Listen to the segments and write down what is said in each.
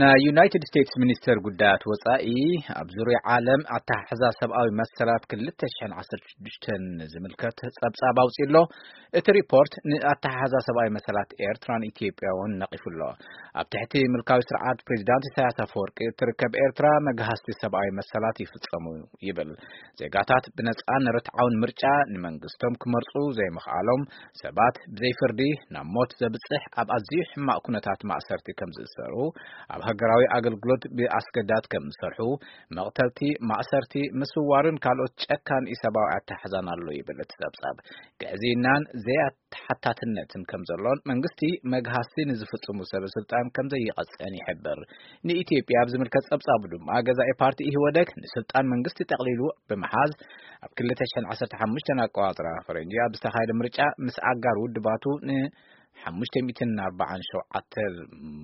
ናይ ዩናይትድ ስቴትስ ሚኒስተር ጉዳያት ወጻኢ ኣብ ዙርያ ዓለም ኣተሓሕዛ ሰብኣዊ መሰላት ክልተ ሽሕን ዓሰርተ ሽዱሽተን ዝምልከት ጸብጻብ ኣውጺኡ ኣሎ። እቲ ሪፖርት ንኣተሓሕዛ ሰብኣዊ መሰላት ኤርትራን ኢትዮጵያ እውን ነቒፉ ኣሎ። ኣብ ትሕቲ ምልካዊ ስርዓት ፕሬዚዳንት ኢሳያስ ኣፈወርቂ እትርከብ ኤርትራ መግሃስቲ ሰብኣዊ መሰላት ይፍጸሙ ይብል። ዜጋታት ብነጻን ርትዓውን ምርጫ ንመንግስቶም ክመርጹ ዘይምኽኣሎም፣ ሰባት ብዘይ ፍርዲ ናብ ሞት ዘብጽሕ ኣብ ኣዝዩ ሕማቕ ኩነታት ማእሰርቲ ከም ዝእሰሩ፣ ኣብ ሃገራዊ ኣገልግሎት ብኣስገዳድ ከም ዝሰርሑ፣ መቕተልቲ፣ ማእሰርቲ፣ ምስዋርን ካልኦት ጨካን ኢሰብኣዊ ኣተሓሕዛን ኣሎ ይብል እቲ ጸብጻብ። ግዕዝይናን ዘይተሓታትነትን ከም ዘሎን መንግስቲ መግሃስቲ ንዝፍጽሙ ሰበ ስልጣን ከም ዘይቐጽዕን ይሕብር። ንኢትዮጵያ ኣብ ዝምልከት ጸብጻቡ ድማ ገዛኢ ፓርቲ ኢህወደግ ንስልጣን መንግስቲ ጠቕሊሉ ብምሓዝ ኣብ ክልተ ሽሕን ዓሰርተ ሓሙሽተን ኣቆጻጽራ ፈረንጂ ኣብ ዝተኻየደ ምርጫ ምስ ኣጋር ውድባቱ ን ሓሙሽተ ሚእትን ኣርባዓን ሸውዓተ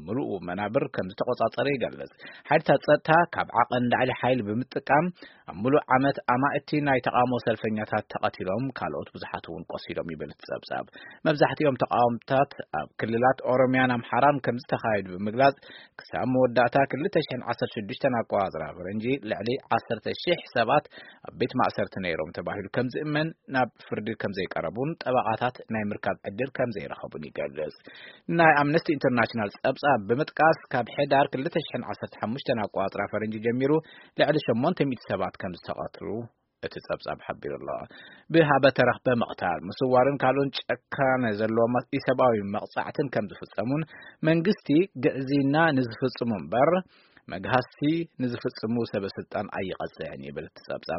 ምሉኡ መናብር ከም ዝተቆጻጸረ ይገልጽ። ሓይልታት ጸጥታ ካብ ዓቐን ላዕሊ ሓይሊ ብምጥቃም ኣብ ምሉእ ዓመት ኣማእቲ ናይ ተቓውሞ ሰልፈኛታት ተቐቲሎም፣ ካልኦት ብዙሓት እውን ቆሲሎም ይብል እቲ ጸብጻብ። መብዛሕትኦም ተቓውምታት ኣብ ክልላት ኦሮሚያን ኣምሓራን ከም ዝተኻየዱ ብምግላጽ፣ ክሳብ መወዳእታ ክልተ ሽሕን ዓሰርተ ሽዱሽተን ኣቆጻጽራ ፈረንጂ ልዕሊ ዓሰርተ ሽሕ ሰባት ኣብ ቤት ማእሰርቲ ነይሮም ተባሂሉ ከም ዝእመን፣ ናብ ፍርዲ ከም ዘይቀረቡን ጠበቓታት ናይ ምርካብ ዕድል ከም ዘይረኸቡን ይገልጽ። ናይ ኣምነስቲ ኢንተርናሽናል ጸብጻብ ብምጥቃስ፣ ካብ ሕዳር ክልተ ሽሕን ዓሰርተ ሓሙሽተን ኣቆጻጽራ ፈረንጂ ጀሚሩ ልዕሊ ሸሞንተ ሚእቲ ሰባት ከም ዝተቐትሉ እቲ ጸብጻብ ሓቢሩ ኣሎ። ብሃበ ተረኽበ ምቕታል፣ ምስዋርን ካልኦን ጨካነ ዘለዎም ኢሰብኣዊ መቕጻዕትን ከም ዝፍጸሙን መንግስቲ ግዕዝይና ንዝፍጽሙ እምበር መግሃስቲ ንዝፍጽሙ ሰበ ስልጣን ኣይቐጽዕን ይብል እቲ ጸብጻብ።